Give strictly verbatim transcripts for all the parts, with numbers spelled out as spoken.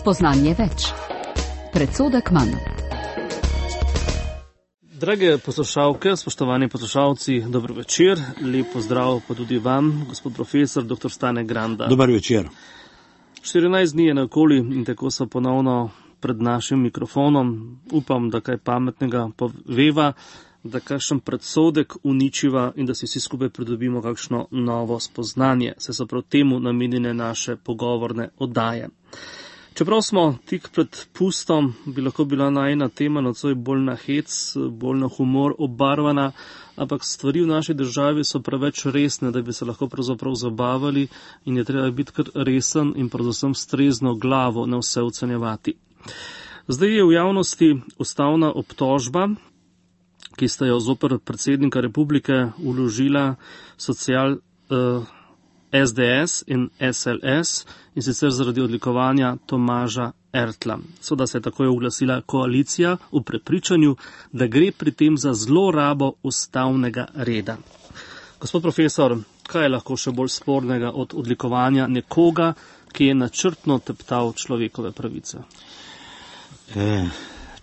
Spoznanje več. Predsodek manj. Drage poslušalke, spoštovani poslušalci, dobro večer. Lep pozdrav pa tudi vam, gospod profesor, doktor Stane Granda. Dobar večer. štirinajst dni je naokoli in tako so ponovno pred našim mikrofonom. Upam, da kaj pametnega poveva, da kakšen predsodek uničiva in da si vsi skupaj pridobimo kakšno novo spoznanje. Se so prav temu namenjene naše pogovorne oddaje. Čeprav smo tik pred pustom, bi lahko bila najina tema nocoj bolj na hec, bolj na humor obarvana, ampak stvari v naši državi so preveč resne, da bi se lahko pravzaprav zabavali in je treba biti kar resen in predvsem s trezno glavo ne vse ocenjevati. Zdaj je v javnosti ustavna obtožba, ki sta jo zoper predsednika republike vložila social uh, S D S in S L S in sicer zaradi odlikovanja Tomaža Ertla. Seveda se je takoj oglasila koalicija v prepričanju, da gre pri tem za zlorabo ustavnega reda. Gospod profesor, kaj je lahko še bolj spornega od odlikovanja nekoga, ki je načrtno teptal človekove pravice? E,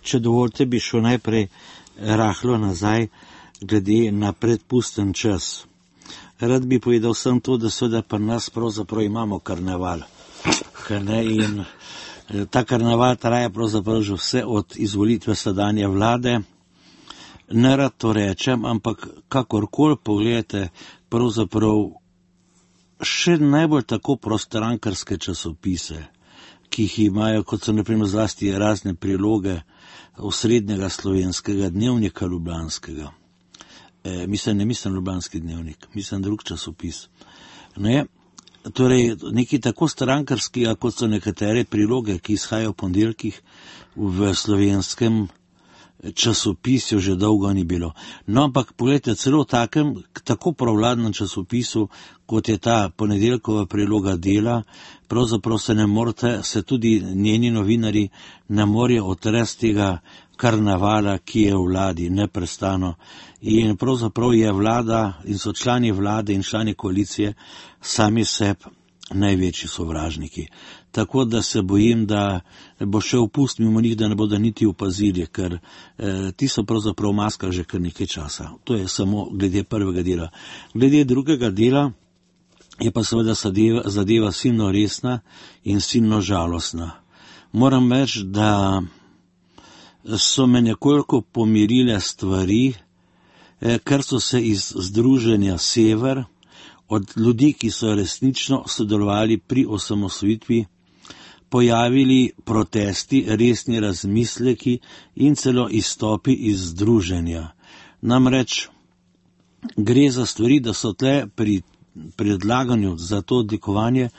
če dovolite, bi šel najprej rahlo nazaj glede na predpusten čas. Rad bi povedal sem to, da seveda pri nas pravzaprav imamo karneval. Ne? In ta karneval traja pravzaprav že vse od izvolitve sedanje vlade. Ne rad to rečem, ampak kakorkoli pogledate, pravzaprav še najbolj tako prostrankarske časopise, ki jih imajo, kot so naprimer zlasti razne priloge osrednjega slovenskega dnevnika ljubljanskega. E, mislim, ne mislim ljubljanski dnevnik, mislim drug časopis. Ne, torej, neki tako strankarski, kot so nekatere priloge, ki izhajajo v ponedeljkih v slovenskem časopisju, že dolgo ni bilo. No, ampak pogledajte, celo v takem, tako pravladnem časopisu, kot je ta ponedeljkova priloga Dela, pravzaprav se ne morete, se tudi njeni novinari ne morejo otresti tega karnevala, ki je v vladi neprestano. In pravzaprav je vlada in so člani vlade in člani koalicije sami sebi največji sovražniki. Tako da se bojim, da bo šel pust mimo njih, da ne bodo niti opazili, ker eh, ti so pravzaprav v maskah že kar nekaj časa. To je samo glede prvega dela. Glede drugega dela je pa seveda zadeva, zadeva silno resna in silno žalostna. Moram reči, da so me nekoliko pomirile stvari, eh, ker so se iz Združenja Sever od ljudi, ki so resnično sodelovali pri osamosvojitvi, pojavili protesti, resni razmisleki in celo izstopi iz združenja. Namreč gre za stvari, da so tle pri predlaganju za to odlikovanje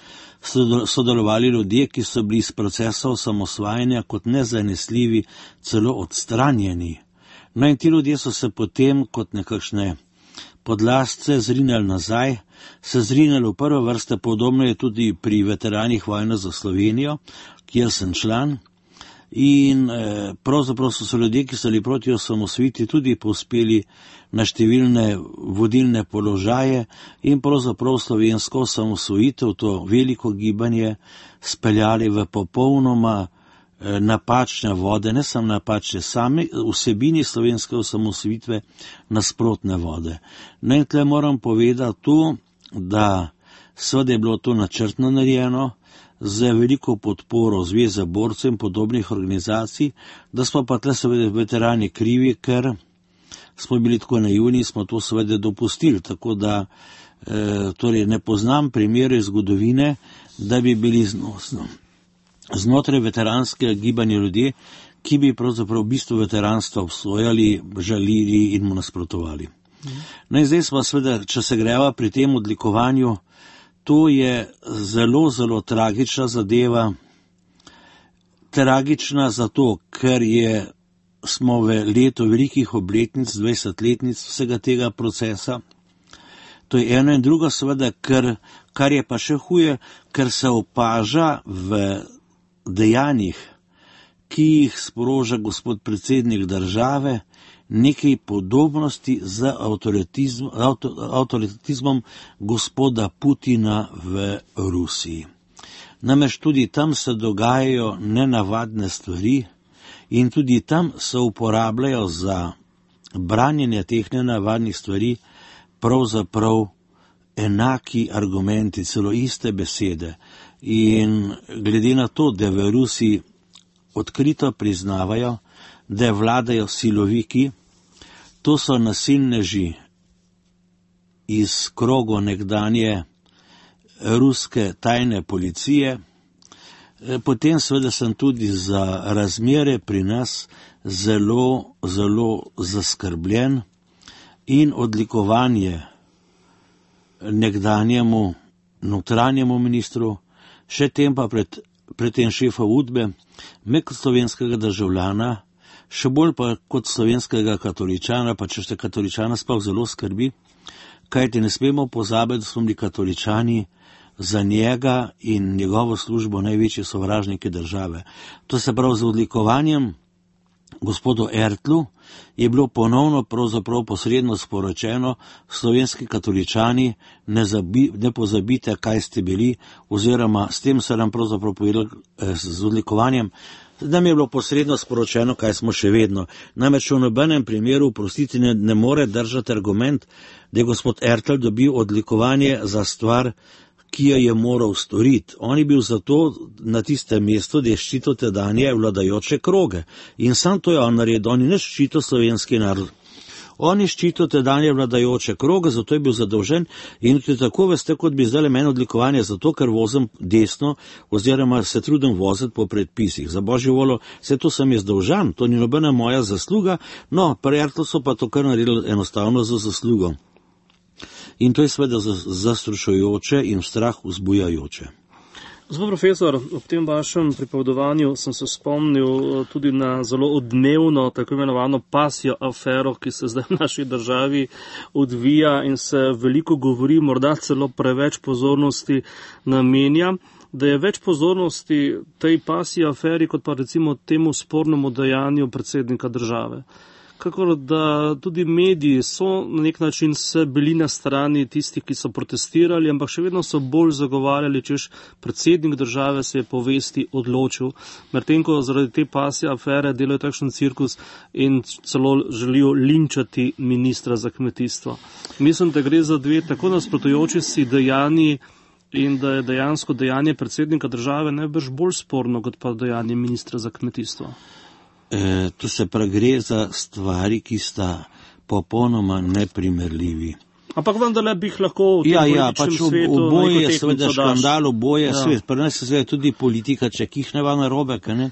sodelovali ljudje, ki so bili iz procesa osamosvajanja kot nezanesljivi celo odstranjeni. No in ti ljudje so se potem kot nekakšne podlastce zrinjali nazaj, se zrinjali v prve vrste, podobno je tudi pri veteranih vojne za Slovenijo, kjer sem član, in eh, pravzaprav so se ljudje, ki so bili proti osamosvojitvi, tudi povzpeli na številne vodilne položaje in pravzaprav slovensko osamosvojitev, to veliko gibanje, speljali v popolnoma eh, napačne vode, ne samo napačne, same vsebini slovenske osamosvojitve nasprotne vode. No in tle moram povedati to, da seveda je bilo to načrtno narejeno, z veliko podporo Zveze borcev in podobnih organizacij, da smo pa tle seveda veterani krivi, ker smo bili tako naivni, smo to seveda dopustili, tako da e, torej ne poznam primere iz zgodovine, da bi bili znosno znotraj veteranskega gibanja ljudje, ki bi pravzaprav v bistvu veteranstva obsojali, žalili in mu nasprotovali. No in zdaj smo seveda, če se greva pri tem odlikovanju, to je zelo, zelo tragična zadeva. Tragična zato, ker je, smo v letu velikih obletnic, dvajsetletnic vsega tega procesa. To je eno in drugo seveda, ker, kar je pa še huje, ker se opaža v dejanjih, ki jih sproža gospod predsednik države, nekaj podobnosti z avtoritizm, avto, avtoritizmom gospoda Putina v Rusiji. Namreč tudi tam se dogajajo nenavadne stvari in tudi tam se uporabljajo za branjenje teh nenavadnih stvari pravzaprav enaki argumenti, celo iste besede. In glede na to, da v Rusiji odkrito priznavajo, da vladajo siloviki, to so nasilneži iz krogo nekdanje ruske tajne policije, potem seveda sem tudi za razmere pri nas zelo, zelo zaskrbljen in odlikovanje nekdanjemu notranjemu ministru, še tem pa pred, pred tem šefa Udbe, me kot slovenskega državljana, še bolj pa kot slovenskega katoličana, pa če ste katoličana sploh zelo skrbi, kajti ne smemo pozabiti, da smo bili katoličani za njega in njegovo službo največji sovražniki države. To se pravi, z odlikovanjem gospodu Ertlu je bilo ponovno pravzaprav posredno sporočeno, slovenski katoličani, ne, zabi, ne pozabite, kaj ste bili, oziroma s tem se nam pravzaprav povedali eh, z odlikovanjem, da mi je bilo posredno sporočeno, kaj smo še vedno. Namreč v nobenem primeru, prostiti, ne, ne more držati argument, da je gospod Ertl dobil odlikovanje za stvar, ki jo je moral storiti. On je bil zato na tistem mestu, da je ščitil tedanje vladajoče kroge. In sam to je on naredil, on je ne ščitil slovenski narod. On je ščitil tedanje vladajoče kroge, zato je bil zadolžen in tudi tako veste, kot bi zdaj meni odlikovanje, zato ker vozim desno oziroma se trudim voziti po predpisih. Za božjo voljo, vse to sem jaz dolžan, to ni nobena moja zasluga, no, pri Ertlu so pa to kar naredili enostavno za zaslugo. In to je seveda zastrašujoče in strah vzbujajoče. Gospod profesor, ob tem vašem pripovedovanju sem se spomnil tudi na zelo odmevno, tako imenovano pasjo afero, ki se zdaj v naši državi odvija in se veliko govori, morda celo preveč pozornosti namenja, da je več pozornosti tej pasji aferi, kot pa recimo temu spornemu dejanju predsednika države. Kakor da tudi mediji so na nek način se bili na strani tistih, ki so protestirali, ampak še vedno so bolj zagovarjali, češ predsednik države se je povesti odločil, medtem ko zaradi te pasje afere delajo takšen cirkus in celo želijo linčati ministra za kmetijstvo. Mislim, da gre za dve tako nasprotujoči si dejanji in da je dejansko dejanje predsednika države najbrž bolj sporno, kot pa dejanje ministra za kmetijstvo. E, to se prav gre za stvari, ki sta popolnoma neprimerljivi. Ampak vendarle bi jih lahko v tem ja, političnem ja, pač svetu... Ja, oboje je seveda škandal, oboje je ja. svet. Pri nas je seveda tudi politika, če kihneva na robe, ne?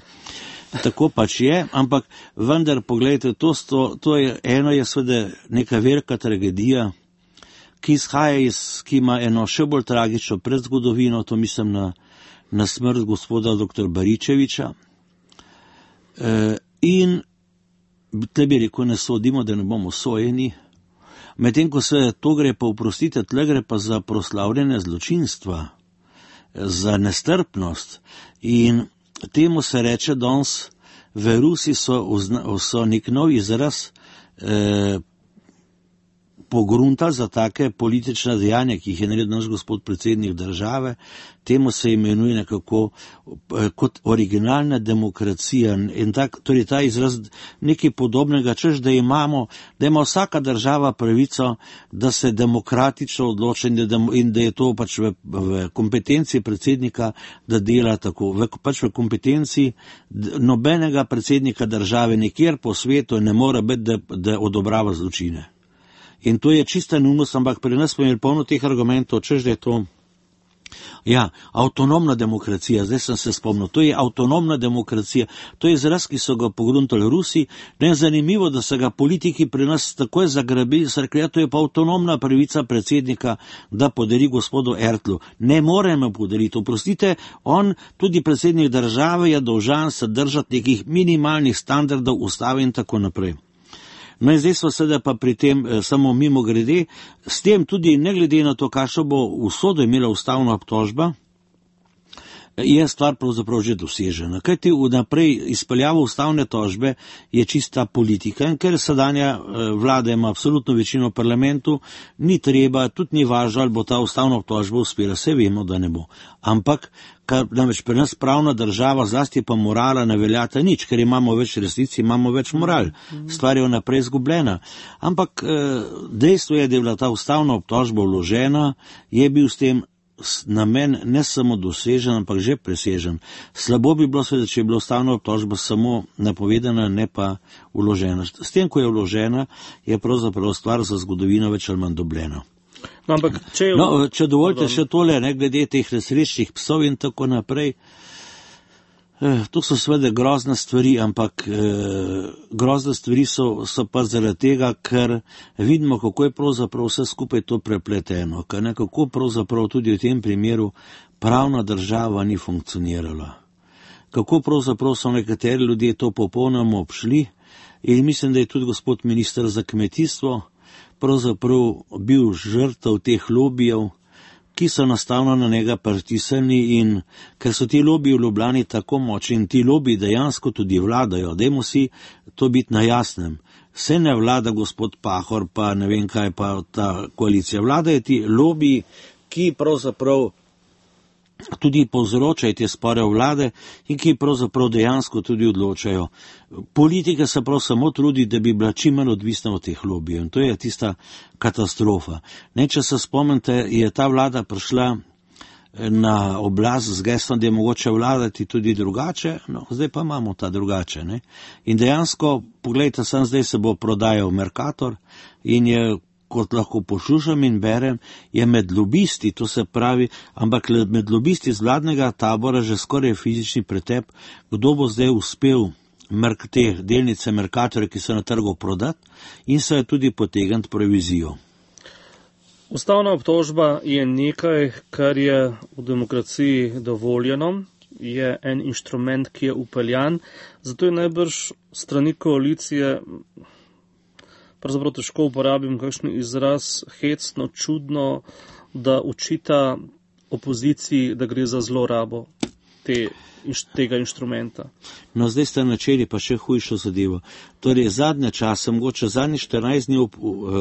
Tako pač je, ampak vendar, pogledajte, to, sto, to je, eno je seveda neka velika tragedija, ki izhaja iz, ki ima eno še bolj tragično predzgodovino, to mislim na, na smrt gospoda doktor Baričeviča. E, In tle bi rekel, ne sodimo, da ne bomo sojeni, medtem ko se to gre pa, oprostite, tle gre pa za proslavljene zločinstva, za nestrpnost in temu se reče danes v Rusiji so, so nek nov izraz eh, pogruntali za take politične dejanja, ki jih je naredil naš gospod predsednik države, temu se imenuje nekako kot originalna demokracija in tak, torej ta izraz nekaj podobnega, češ da imamo, da ima vsaka država pravico, da se demokratično odloča in da, in da je to pač v, v kompetenciji predsednika, da dela tako, v, pač v kompetenciji nobenega predsednika države nikjer po svetu ne mora biti, da, da odobrava zločine. In to je čista neumnost, ampak pri nas smo imeli polno teh argumentov, češ da je to, ja, avtonomna demokracija, zdaj sem se spomnil, to je avtonomna demokracija, to je izraz, ki so ga pogruntali Rusi, ne je zanimivo, da so ga politiki pri nas takoj zagrabili, so rekli, ja, to je pa avtonomna pravica predsednika, da podari gospodu Ertlu. Ne moremo podariti, oprostite, on, tudi predsednik države, je dolžan se držati nekih minimalnih standardov ustave in tako naprej. No in zdaj smo sedaj pa pri tem eh, samo mimo grede, s tem tudi ne glede na to, kakšno bo usodo imela ustavna obtožba, je stvar pravzaprav že dosežena. Kajti vnaprej izpeljava ustavne tožbe je čista politika in ker sedanja vlada ima absolutno večino v parlamentu, ni treba, tudi ni važno, ali bo ta ustavna tožba uspela, vse vemo, da ne bo. Ampak, kar namreč pri nas pravna država, zlasti pa morala ne veljata nič, ker imamo več resnic, imamo več moral. Stvar je vnaprej izgubljena. Ampak dejstvo je, da je bila ta ustavna obtožba vložena, je bil s tem namen ne samo dosežen, ampak že presežen. Slabo bi bilo seveda, če je bila ustavna obtožba samo napovedana, ne pa vložena. S tem, ko je vložena, je pravzaprav stvar za zgodovino več ali manj dobljena. No, ampak, če, je... no, če dovolite še tole, ne, glede teh nesrečnih psov in tako naprej, eh, to so seveda grozne stvari, ampak eh, grozne stvari so, so pa zaradi tega, ker vidimo, kako je pravzaprav vse skupaj to prepleteno, ker nekako pravzaprav tudi v tem primeru pravna država ni funkcionirala. Kako pravzaprav so nekateri ljudje to popolnoma obšli in mislim, da je tudi gospod minister za kmetijstvo pravzaprav bil žrtev teh lobijev, ki so nastavno na njega pritisnili in ker so ti lobiji v Ljubljani tako močni in ti lobiji dejansko tudi vladajo, dajmo si to biti na jasnem. Vse ne vlada gospod Pahor, pa ne vem kaj pa ta koalicija. Vladajo ti lobiji, ki pravzaprav tudi povzročajo te spore vlade in ki pravzaprav dejansko tudi odločajo. Politika se prav samo trudi, da bi bila čim manj odvisna od teh lobijev in to je tista katastrofa. Ne, če se spomnite, je ta vlada prišla na oblast z geslom, da je mogoče vladati tudi drugače, no, zdaj pa imamo ta drugače. Ne? In dejansko, pogledajte, sem zdaj se bo prodajal Mercator in je, kot lahko poslušam in berem, je med lobisti, to se pravi, ampak med lobisti z vladnega tabora že skoraj fizični pretep, kdo bo zdaj uspel te delnice Mercatorja, ki so na trgu prodati in so je tudi potegniti provizijo. Ustavna obtožba je nekaj, kar je v demokraciji dovoljeno, je en inštrument, ki je upeljan, zato je najbrž strani koalicije pravzaprav težko uporabim kakšen izraz, hecno, čudno, da učita opoziciji, da gre za zlorabo te, tega inštrumenta. No, zdaj ste načeli pa še hujšo zadevo. Torej, zadnje čase, mogoče zadnjih štirinajst dni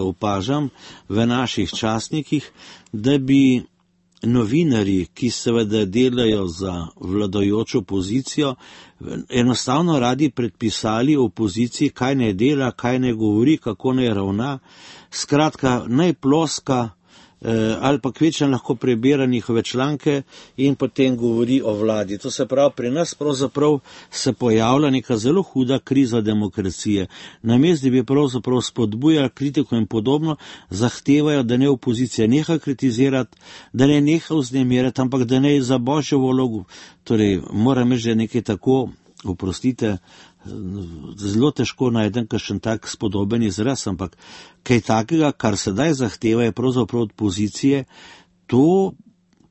opažam v naših časnikih, da bi novinarji, ki seveda delajo za vladajočo opozicijo, enostavno radi predpisali opoziciji, kaj ne dela, kaj ne govori, kako ne ravna. Skratka, naj ploska eh, ali pa kvečem lahko prebira njihove članke in potem govori o vladi. To se pravi, pri nas pravzaprav se pojavlja neka zelo huda kriza demokracije. Namesto, da bi pravzaprav spodbujali kritiko in podobno, zahtevajo, da ne opozicija neha kritizirati, da ne neha vznemirjati, ampak da ne za božjo vlogo. Torej, moram reči, da nekaj tako, oprostite, zelo težko najdem kakšen tak spodoben izraz, ampak kaj takega, kar sedaj zahteva, je pravzaprav od pozicije, to,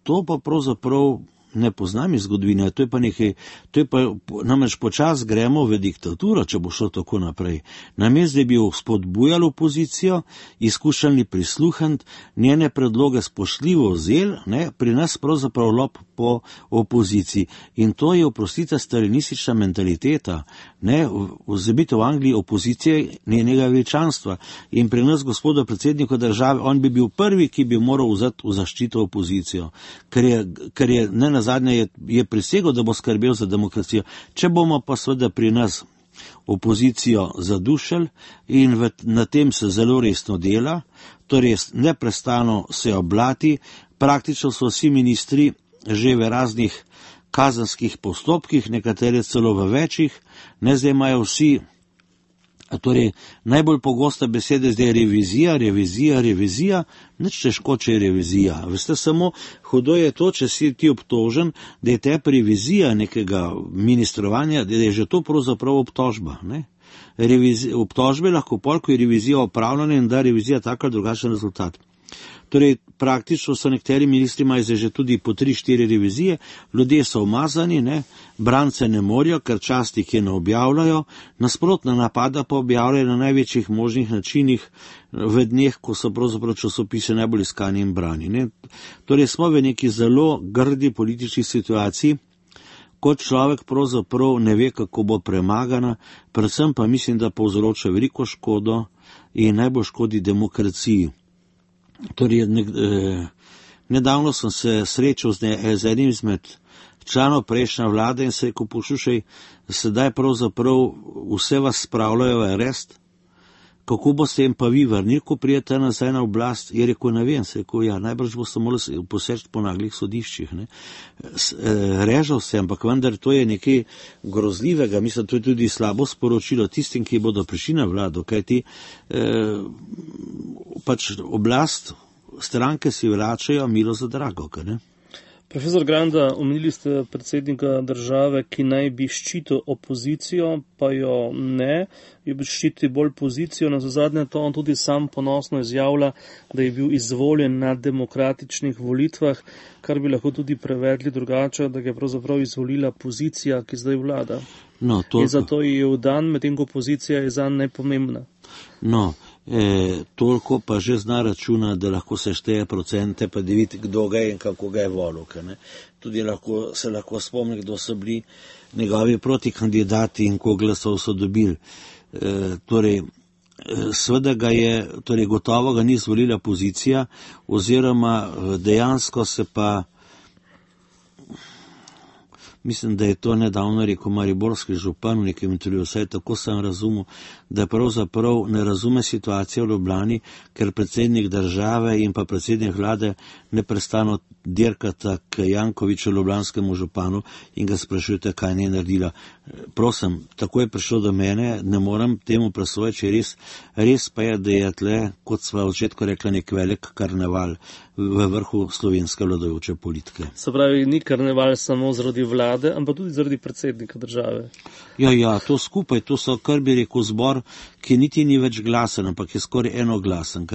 to pa pravzaprav ne poznam iz zgodovine, to je pa nekaj, to je pa, namreč počas gremo v diktaturo, če bo šlo tako naprej. Namesto, da bi spodbujali opozicijo, izkušali prisluhniti, njene predloge spoštljivo vzeli, ne, pri nas pravzaprav lop po opoziciji. In to je, oprostite, stalinistična mentaliteta, ne, vzabite v Angliji opozicije njenega veličanstva. In pri nas, gospoda predsednika države, on bi bil prvi, ki bi moral vzeti v zaščito opozicijo, ker je, ker je ne na zadnje je, je prisegel, da bo skrbel za demokracijo. Če bomo pa seveda pri nas opozicijo zadušili in v, na tem se zelo resno dela, torej neprestano se oblati, praktično so vsi ministri že v raznih kazenskih postopkih, nekatere celo v večjih, ne zdaj imajo vsi. Torej, najbolj pogosta beseda zdaj je revizija, revizija, revizija, nič težko, če je revizija. Veste, samo hudo je to, če si ti obtožen, da je te revizija nekega ministrovanja, da je že to pravzaprav obtožba. Ne? Revizija, obtožbe lahko pol, ko je revizija opravljena in da revizija tako drugačen rezultat. Torej, praktično so nekateri ministri imajo že tudi po tri, štiri revizije, ljudje so umazani, ne, brance ne morijo, ker častniki ne objavljajo, nasprotna napada pa objavljajo na največjih možnih načinih v dneh, ko so pravzaprav časopise najbolj iskani in brani. Ne. Torej, smo v neki zelo grdi politični situaciji kot človek pravzaprav ne ve, kako bo premagana, predvsem pa mislim, da povzroča veliko škodo in najbolj škodi demokraciji. Torej, ne, eh, nedavno sem se srečal z, ne, z enim izmed članov prejšnje vlade in se rekel, poslušaj, sedaj pravzaprav vse vas spravljajo v arest, kako boste jim pa vi vrnili, ko prijete nazaj na oblast? Je rekel, ne vem, se rekel, ja, najbrž boste morali poseči po naglih sodiščih. Ne. Režal se, ampak vendar to je nekaj grozljivega, mislim, to je tudi slabo sporočilo tistim, ki bodo prišli na vlado, kajti eh, pač oblast stranke si vračajo milo za drago, kaj ne? Profesor Granda, omenili ste predsednika države, ki naj bi ščitil opozicijo, pa jo ne, jo bi ščiti bolj pozicijo. Na zadnje to on tudi sam ponosno izjavlja, da je bil izvoljen na demokratičnih volitvah, kar bi lahko tudi prevedli drugače, da ga je pravzaprav izvolila pozicija, ki zdaj vlada. No, to... In zato je vdan, medtem ko pozicija je zanj najpomembna. No, E, toliko pa že zna računa, da lahko se šteje procente, pa da vidi, kdo ga je in kako ga je volil. Tudi lahko, se lahko spomni, kdo so bili njegovi protikandidati in koliko glasov so dobili. E, torej, seveda ga je, torej gotovo ga ni izvolila pozicija, oziroma dejansko se pa, mislim, da je to nedavno rekel mariborski župan v nekem intervjuju, vsaj tako sem razumel, da pravzaprav ne razume situacije v Ljubljani, ker predsednik države in pa predsednik vlade neprestano dirkata k Jankoviću, ljubljanskemu županu, in ga sprašujete, kaj ne naredila. Prosim, tako je prišlo do mene, ne moram temu presojati, res, res pa je, da je tle, kot sva v začetku rekla, nek velik karneval v vrhu slovenske vladajoče politike. Se pravi, ni karneval samo zaradi vlade, ampak tudi zaradi predsednika države. Ja, ja, to skupaj, to so, kar bi rekel, zbor, ki niti ni več glasen, ampak je skoraj enoglasen.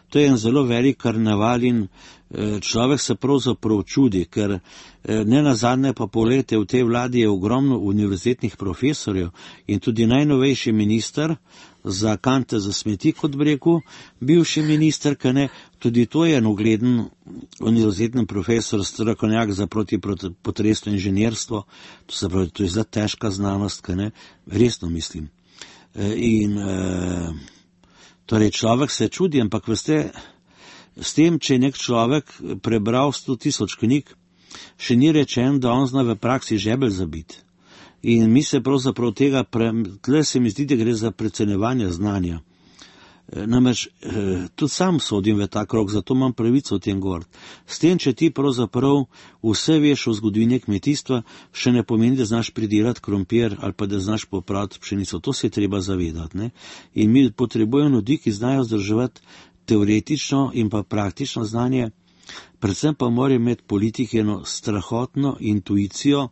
To je en zelo velik karneval in eh, človek se pravzaprav čudi, ker eh, ne nazadnje pa polete v tej vladi je ogromno univerzitetnih profesorjev in tudi najnovejši minister za kante za smeti, kot bi rekel, bivši minister, kaj ne, tudi to je en ugleden univerzitetni profesor, strokovnjak za protipotresno inženirstvo, to se pravi, to je zelo težka znanost, kaj ne, resno mislim. In e, torej človek se čudi, ampak veste, s tem, če je nek človek prebral sto tisoč knjig, še ni rečen, da on zna v praksi žebelj zabiti. In mi se pravzaprav tega, pre, tle se mi zdi, da gre za precenevanje znanja. E, namreč, e, tudi sam sodim v ta krog, zato imam pravico o tem govoriti. S tem, če ti pravzaprav vse veš o zgodovini kmetijstva, še ne pomeni, da znaš pridelati krompir ali pa da znaš popraviti pšenico. To se je treba zavedati. Ne? In mi potrebujemo ljudi, ki znajo zdrževati teoretično in pa praktično znanje, predvsem pa morajo imeti politiki eno strahotno intuicijo,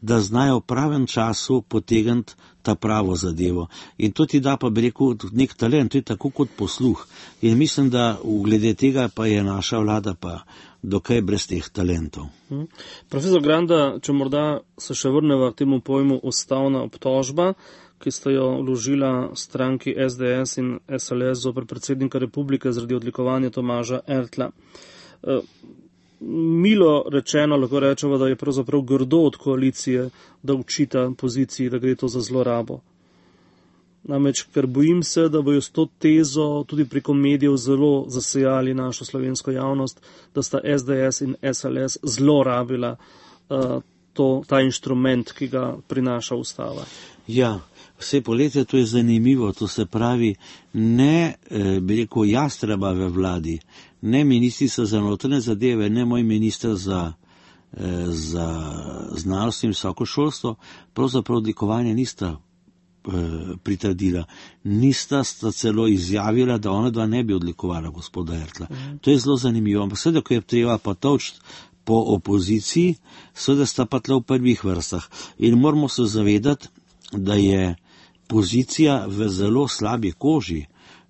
da znajo v pravem času potegniti ta pravo zadevo. In to ti da, pa bi rekel, nek talent, to je tako kot posluh. In mislim, da v glede tega pa je naša vlada pa dokaj brez teh talentov. Hmm. Profesor Granda, če morda se še vrneva k temu pojmu ustavna obtožba, ki sta jo vložila stranki S D S in S L S zoper predsednika republike zaradi odlikovanja Tomaža Ertla. Uh, Milo rečeno lahko rečemo, da je pravzaprav grdo od koalicije, da učita poziciji, da gre to za zlorabo. Namreč, ker bojim se, da bojo s to tezo tudi preko medijev zelo zasejali našo slovensko javnost, da sta S D S in S L S zlorabila uh, to, ta inštrument, ki ga prinaša ustava. Ja, vse poletje to je zanimivo, to se pravi, ne, eh, bi rekel, jastreba v vladi, ne ministrica za notranje zadeve, ne moj minister za, eh, za znanost in visoko šolstvo, pravzaprav odlikovanja nista eh, pritrdila. Nista sta celo izjavila, da ona dva ne bi odlikovala gospoda Ertla. Mhm. To je zelo zanimivo, ampak seveda, ko je treba pa točiti po opoziciji, seveda sta pa tle v prvih vrstah. In moramo se zavedati, da je pozicija v zelo slabi koži.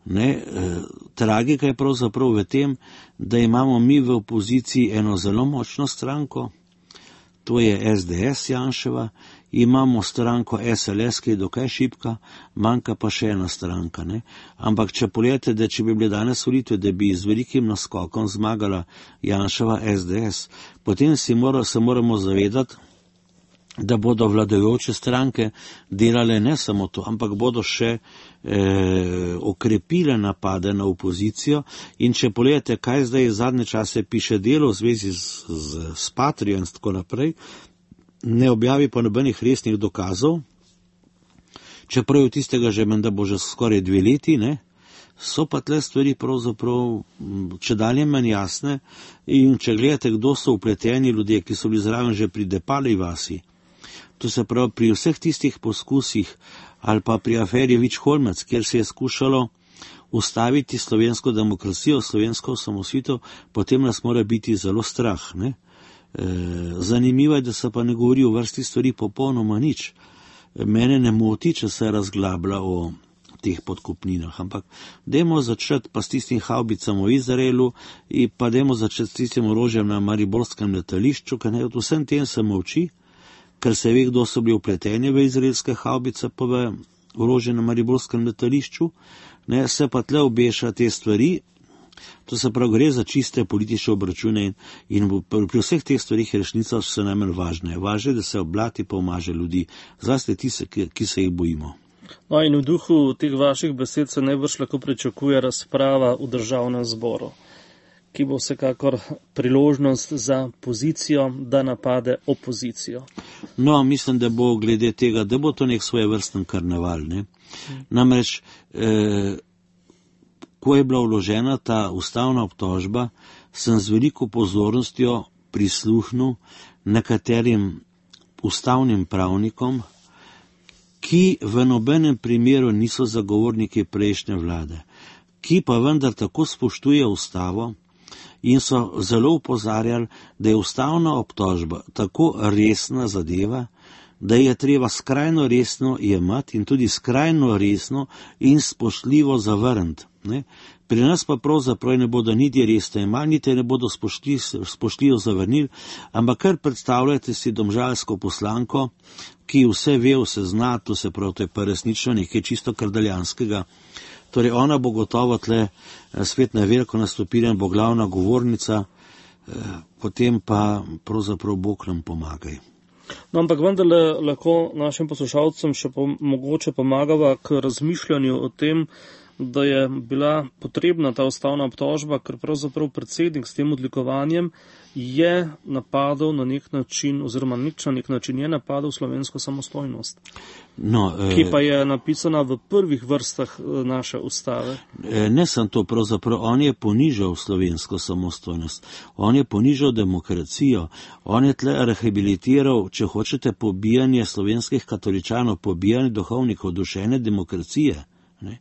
Ne, eh, tragika je pravzaprav v tem, da imamo mi v opoziciji eno zelo močno stranko, to je S D S Janševa, imamo stranko S L S, ki je dokaj šibka, manjka pa še ena stranka. Ne. Ampak če pogledate, da če bi bile danes volitve, da bi z velikim naskokom zmagala Janševa S D S, potem si mora, se moramo zavedati, da bodo vladajoče stranke delale ne samo to, ampak bodo še eh, okrepile napade na opozicijo. In če pogledate, kaj zdaj zadnje čase piše Delo v zvezi z, z, z Patrijo in tako naprej, ne objavi pa nobenih resnih dokazov, čeprav je tistega že menda bo že skoraj dve leti, ne, so pa tle stvari pravzaprav če dalje manj jasne. In če gledate, kdo so upleteni ljudje, ki so bili zraven že pri Depali vasi, to se pravi pri vseh tistih poskusih ali pa pri aferi Vič-Holmec, kjer se je skušalo ustaviti slovensko demokracijo, slovensko osamosvojitev, potem nas mora biti zelo strah, ne. E, zanimivo je, da se pa ne govori o vrsti stvari popolnoma nič. Mene ne moti, če se razglablja o teh podkupninah, ampak dajmo začeti pa s tistim havbicam v Izraelu in pa dajmo začeti s tistim orožjem na mariborskem letališču, ker ne, od vsem tem se molči, ker se ve, kdo so bili upleteni v izraelske havbice pa v orožje na mariborskem letališču, ne, se pa tle obeša te stvari. To se pravi, gre za čiste politične obračune in, in pri vseh teh stvarih je resnica vse najmanj važne. Važno je, da se oblati pa omaže ljudi, zlasti tiste, ki, ki se jih bojimo. No in v duhu teh vaših besed se najbrž lahko pričakuje razprava v državnem zboru, ki bo vsekakor priložnost za pozicijo, da napade opozicijo. No, mislim, da bo glede tega, da bo to nek svojevrsten karneval, ne. Namreč, eh, ko je bila vložena ta ustavna obtožba, sem z veliko pozornostjo prisluhnil nekaterim ustavnim pravnikom, ki v nobenem primeru niso zagovorniki prejšnje vlade, ki pa vendar tako spoštuje ustavo in so zelo upozarjali, da je ustavna obtožba tako resna zadeva, da je treba skrajno resno jemati in tudi skrajno resno in spoštljivo zavrniti. Ne? Pri nas pa pravzaprav ne bodo niti resno jemali, niti ne bodo spoštljivo zavrnili, ampak kar predstavljate si domžalsko poslanko, ki vse ve, vse zna, to se prav, to je pa resnično nekaj čisto kardaljanskega. Torej ona bo gotovo tle spet na veliko nastopila in bo glavna govornica, potem pa pravzaprav Bog nam pomagaj. No, ampak vendarle lahko našim poslušalcem še po, mogoče pomagava k razmišljanju o tem, da je bila potrebna ta ustavna obtožba, ker pravzaprav predsednik s tem odlikovanjem je napadal na nek način, oziroma nič na nek način je napadal slovensko samostojnost, no, eh, ki pa je napisana v prvih vrstah naše ustave. Ne sem to pravzaprav, on je ponižal slovensko samostojnost, on je ponižal demokracijo, on je tle rehabilitiral, če hočete, pobijanje slovenskih katoličanov, pobijanje duhovnikov, duševne demokracije. Ne?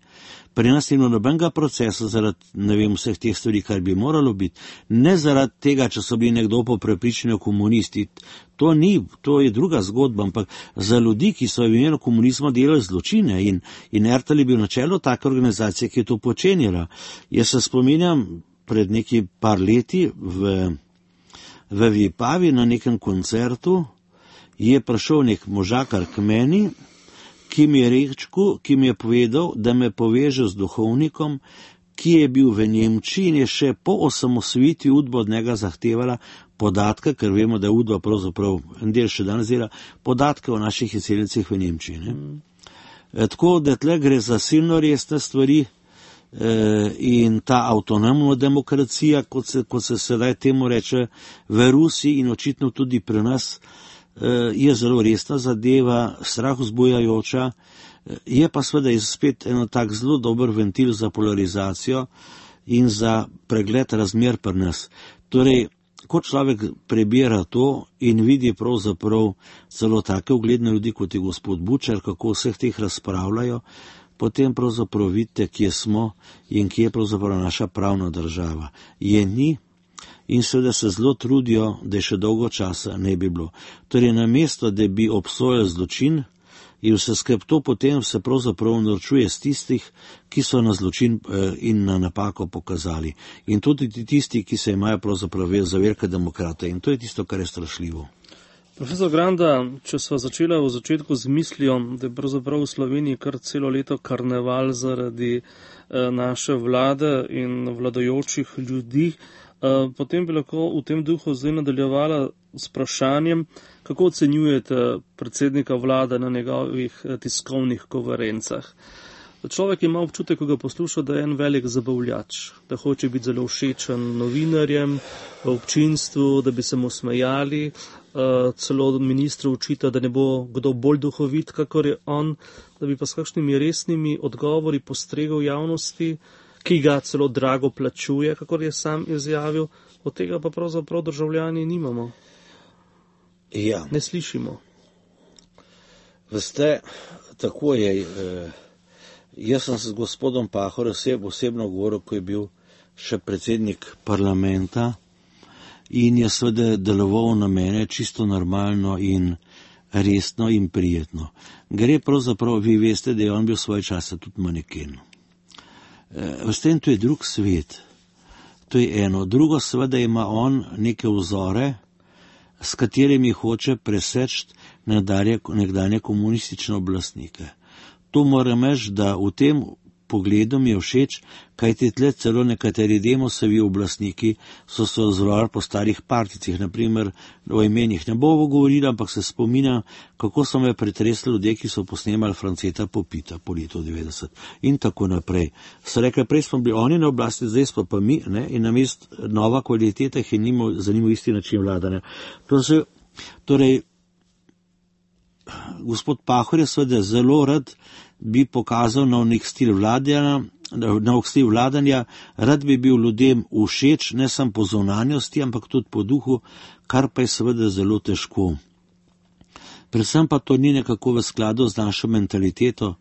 Pri nas ni nobenega procesa zaradi, ne vem, vseh teh stvari, kar bi moralo biti. Ne zaradi tega, če so bili nekdo po prepričanju komunisti. To ni, to je druga zgodba, ampak za ljudi, ki so v imenu komunizma delali zločine in, in Ertel je bil na čelu take organizacije, ki je to počenjala. Jaz se spominjam pred neki par leti v, v Vipavi na nekem koncertu je prišel nek možakar k meni, ki mi je rečku, ki mi je povedal, da me poveže z duhovnikom, ki je bil v Nemčiji in je še po osamosvojitvi Udba od njega zahtevala podatke, ker vemo, da je Udba pravzaprav en del še danes dela, podatke o naših izseljencih v Nemčiji. Ne? Mm. E, tako, da tle gre za silno resne stvari e, in ta avtonomna demokracija, kot se, kot se sedaj temu reče v Rusiji in očitno tudi pri nas, je zelo resna zadeva, strah vzbujajoča, je pa seveda spet eno tak zelo dober ventil za polarizacijo in za pregled razmer pri nas. Torej, ko človek prebira to in vidi pravzaprav celo take ugledne ljudi, kot je gospod Bučar, kako vseh teh razpravljajo, potem pravzaprav vidite, kje smo in kje je pravzaprav naša pravna država. Je ni, in seveda se zelo trudijo, da je še dolgo časa ne bi bilo. Torej, namesto, da bi obsojali zločin, in vse skrb to potem se pravzaprav norčuje z tistih, ki so na zločin in na napako pokazali. In tudi tisti, ki se imajo pravzaprav za velike demokrate. In to je tisto, kar je strašljivo. Profesor Granda, če sva začela v začetku z mislijo, da je pravzaprav v Sloveniji kar celo leto karneval zaradi naše vlade in vladajočih ljudi, Potem bi lahko v tem duhu zdaj nadaljevala s vprašanjem, kako ocenjujete predsednika vlade na njegovih tiskovnih konferencah. Človek ima občutek, ko ga posluša, da je en velik zabavljač, da hoče biti zelo všečen novinarjem, občinstvu, da bi se mu smejali, celo ministru učita, da ne bo kdo bolj duhovit, kakor je on, da bi pa s kakšnimi resnimi odgovori postregal javnosti, ki ga celo drago plačuje, kakor je sam izjavil, od tega pa pravzaprav državljani nimamo. Ja. Ne slišimo. Veste, tako je. Eh, jaz sem se z gospodom Pahor oseb, osebno govoril, ko je bil še predsednik parlamenta in je seveda deloval na mene čisto normalno in resno in prijetno. Gre pravzaprav, vi veste, da je on bil svoj čas tudi maneken. Veste, in to je drug svet. To je eno. Drugo, seveda ima on neke vzore, s katerimi hoče preseči nekdanje komunistične oblastnike. To moram reči, da v tem pogledu mi je všeč, kajti tle celo nekateri Demosovi oblastniki so se ozvali po starih partijcih, naprimer o imenih ne bomo govorili, ampak se spominjam, kako so me pretresli ljudje, ki so posnemali Franceta Popita po letu devetdeset in tako naprej. So rekli, prej smo bili oni na oblasti, zdaj smo pa mi, ne, in namest nova kvaliteta jih je nimo, zanimiv isti način vladanja. To se, torej, gospod Pahor je seveda zelo rad bi pokazal na nek stil vladanja, na nek stil vladanja, rad bi bil ljudem všeč, ne samo po zunanjosti, ampak tudi po duhu, kar pa je seveda zelo težko. Predvsem pa to ni nekako v skladu z našo mentaliteto,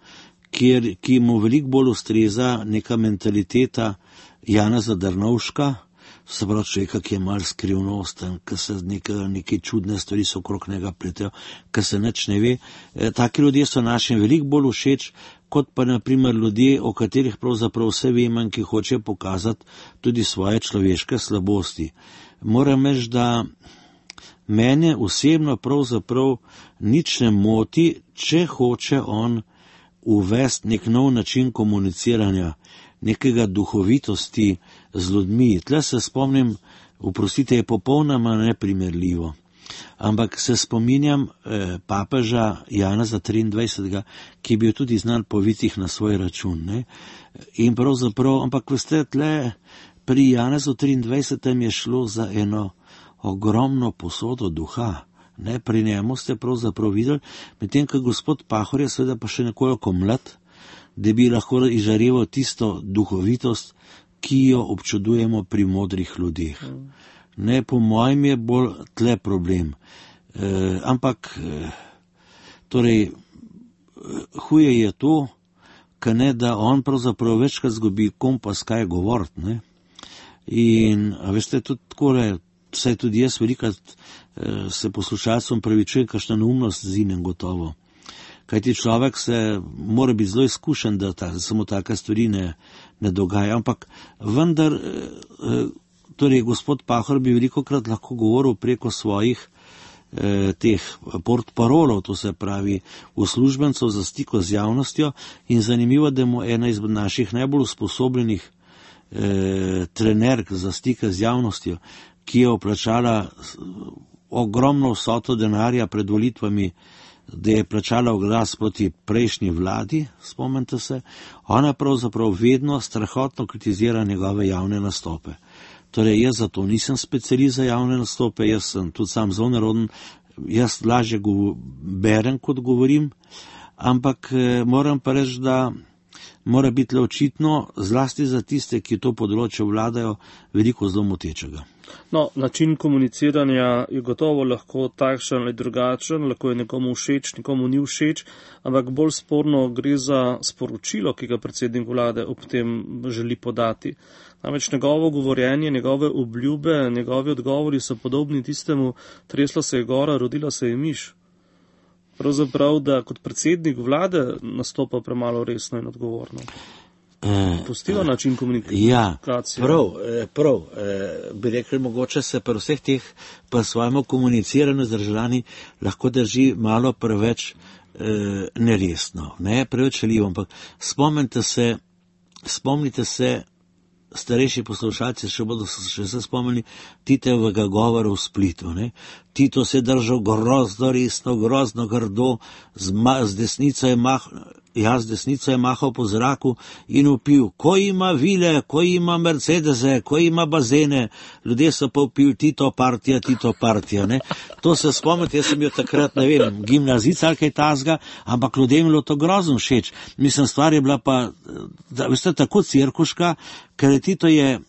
kjer, ki mu veliko bolj ustreza neka mentaliteta Janeza Drnovška, se pravi človeka, ki je mal skrivnosten, ki se neke, neke čudne stvari so okrog njega pletejo, ki se nič ne ve. E, taki ljudje so našim veliko bolj všeč, kot pa naprimer ljudje, o katerih pravzaprav vse vemo in ki hoče pokazati tudi svoje človeške slabosti. Moram reči, da mene osebno pravzaprav nič ne moti, če hoče on uvesti nek nov način komuniciranja, nekega duhovitosti z ljudmi. Tle se spomnim, oprostite, je popolnoma neprimerljivo, ampak se spominjam eh, papeža Janeza triindvajsetega, ki je bil tudi znan po vicih na svoj račun. Ne? In pravzaprav, ampak veste, tle pri Janezu triindvajsetem je šlo za eno ogromno posodo duha. Ne? Pri njemu ste pravzaprav videli, medtem ko gospod Pahor je seveda pa še nekoliko mlad, da bi lahko izžareval tisto duhovitost, ki jo občudujemo pri modrih ljudeh. Ne, po mojem je bolj tle problem. E, ampak, e, torej, huje je to, ka ne, da on pravzaprav večkrat zgubi kompas, kaj govoriti, ne. In, a veste, tudi takole, saj tudi jaz velikrat e, se poslušalcem pravičujem, kakšna neumnost zinem gotovo. Kajti človek se mora biti zelo izkušen, da ta, samo taka stvari ne, ne dogaja. Ampak vendar, eh, torej gospod Pahor bi velikokrat lahko govoril preko svojih eh, teh portparolov, to se pravi uslužbencev za stiko z javnostjo, in zanimivo, da mu ena izmed naših najbolj usposobljenih eh, trenerk za stike z javnostjo, ki je oplačala ogromno vsoto denarja pred volitvami, da je plačala oglas proti prejšnji vladi, spomnite se, ona pravzaprav vedno strahotno kritizira njegove javne nastope. Torej, jaz zato nisem specialist za javne nastope, jaz sem tudi sam zelo naroden, jaz lažje berem, kot govorim, ampak eh, moram pa reči, da mora biti le očitno, zlasti za tiste, ki to področje vladajo, veliko zelo motečega. No, način komuniciranja je gotovo lahko takšen ali drugačen, lahko je nekomu všeč, nekomu ni všeč, ampak bolj sporno gre za sporočilo, ki ga predsednik vlade ob tem želi podati. Namreč njegovo govorjenje, njegove obljube, njegovi odgovori so podobni tistemu, tresla se je gora, rodila se je miš. Pravzaprav, da kot predsednik vlade nastopa premalo resno in odgovorno. Pustiva način komunikacije. Ja, prav, prav. Bi rekli, mogoče se pri vseh teh pa svojemu komuniciranju z državljani lahko drži malo preveč eh, neresno, ne preveč željivo, ampak spomnite se, spomnite se starejši poslušalci še bodo še se spomnili Titovega govora v Splitu. Ne? Tito se je držal grozno resno, grozno grdo, z, ma, z desnico je mahal, jaz desnico je mahal po zraku in upil, ko ima vile, ko ima Mercedese, ko ima bazene, ljudje so pa upil Tito partija, Tito partija. Ne? To se spomnite, jaz sem bil takrat, ne vem, gimnazica ali kaj tazga, ampak ljudem je bilo to grozno všeč. Mislim, stvar je bila pa, da, veste, tako cirkuška, ker Tito je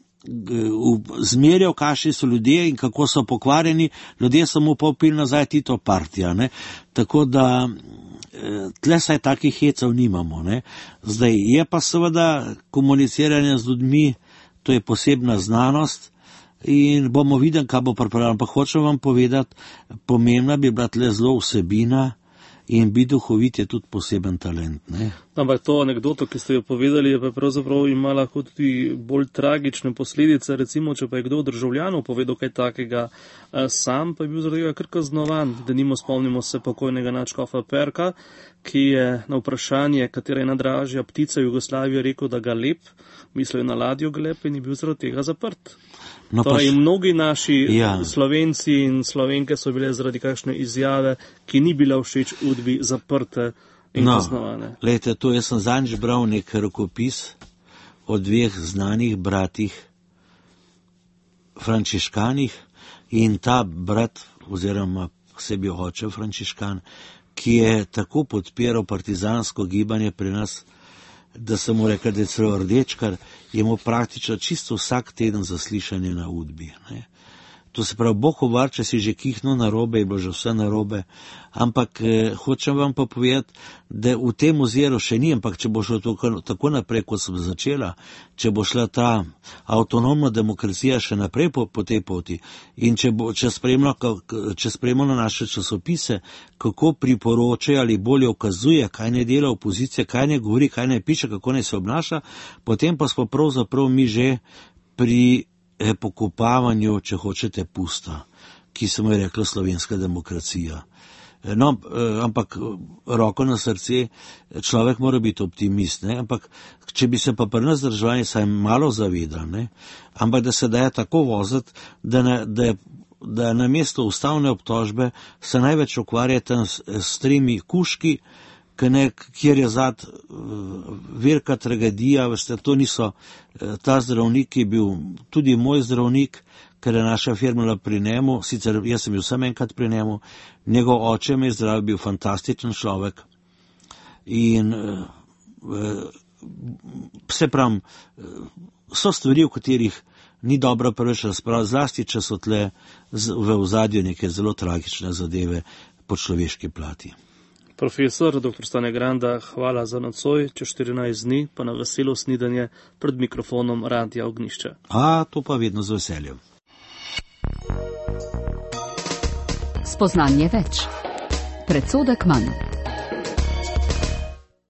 zmerjal, kakšni so ljudje in kako so pokvarjeni, ljudje so mu pa upili nazaj Tito partija. Ne? Tako da tle saj takih hecev nimamo. Ne? Zdaj je pa seveda komuniciranje z ljudmi, to je posebna znanost in bomo videli, kaj bo pripravljeno. Pa hočem vam povedati, pomembna bi bila tle zelo vsebina in biti duhovit je tudi poseben talent. Ne? Ampak to anekdoto, ki ste jo povedali, je pa pravzaprav ima lahko tudi bolj tragične posledice. Recimo, če pa je kdo od državljanov povedal kaj takega, sam pa je bil zaradi tega kar kaznovan. Denimo spomnimo se pokojnega nadškofa Perka, ki je na vprašanje, katera je najdražja ptica v Jugoslaviji, rekel, da ga lep, mislil je na ladjo Gleb in je bil zaradi tega zaprt. No, torej, pač, mnogi naši ja. Slovenci in Slovenke so bile zaradi kakšne izjave, ki ni bila všeč Udbi, zaprte in no, kaznovane. Lejte, to jaz sem zadnjič bral nek rokopis o dveh znanih bratih frančiškanih in ta brat, oziroma sebi oče frančiškan, ki je tako podpiral partizansko gibanje pri nas, da sem mu rekel, da je celo rdečkar, je mu praktično čisto vsak teden zaslišanje na Udbi. Ne? To se pravi, Bog ovar, če si že kihno narobe, je bilo že vse narobe, ampak eh, hočem vam pa povedati, da v tem oziru še ni, ampak če bo šlo tako, tako naprej, kot sem začela, če bo šla ta avtonomna demokracija še naprej po, po tej poti in če, bo, če spremljamo na naše časopise, kako priporočajo ali bolje ukazuje, kaj ne dela opozicija, kaj ne govori, kaj ne piše, kako ne se obnaša, potem pa smo pravzaprav mi že pri pokopavanju, če hočete, pusta, ki se mu je rekla slovenska demokracija. No, ampak roko na srce, človek mora biti optimist, ne? Ampak če bi se pa pri nas državljani saj malo zavedali, ne? Ampak da se daje tako voziti, da, ne, da, da na mesto ustavne obtožbe se največ ukvarjate s, s tremi kuški, Ne, kjer je zad velika tragedija, veste, to niso, ta zdravnik je bil tudi moj zdravnik, ker je naša firma pri njemu, sicer jaz sem bil sam enkrat pri njemu, njegov oče me je zdravil, bil fantastičen človek in se pravim, so stvari, v katerih ni dobro preveč razpravljati, zlasti, če so tle v ozadju neke zelo tragične zadeve po človeški plati. Profesor doktor Stane Granda, hvala za nocoj, čez štirinajst dni pa na veselo snidanje pred mikrofonom Radia Ognjišče. A, to pa vedno z veseljem. Spoznanje več. Predsodek manj.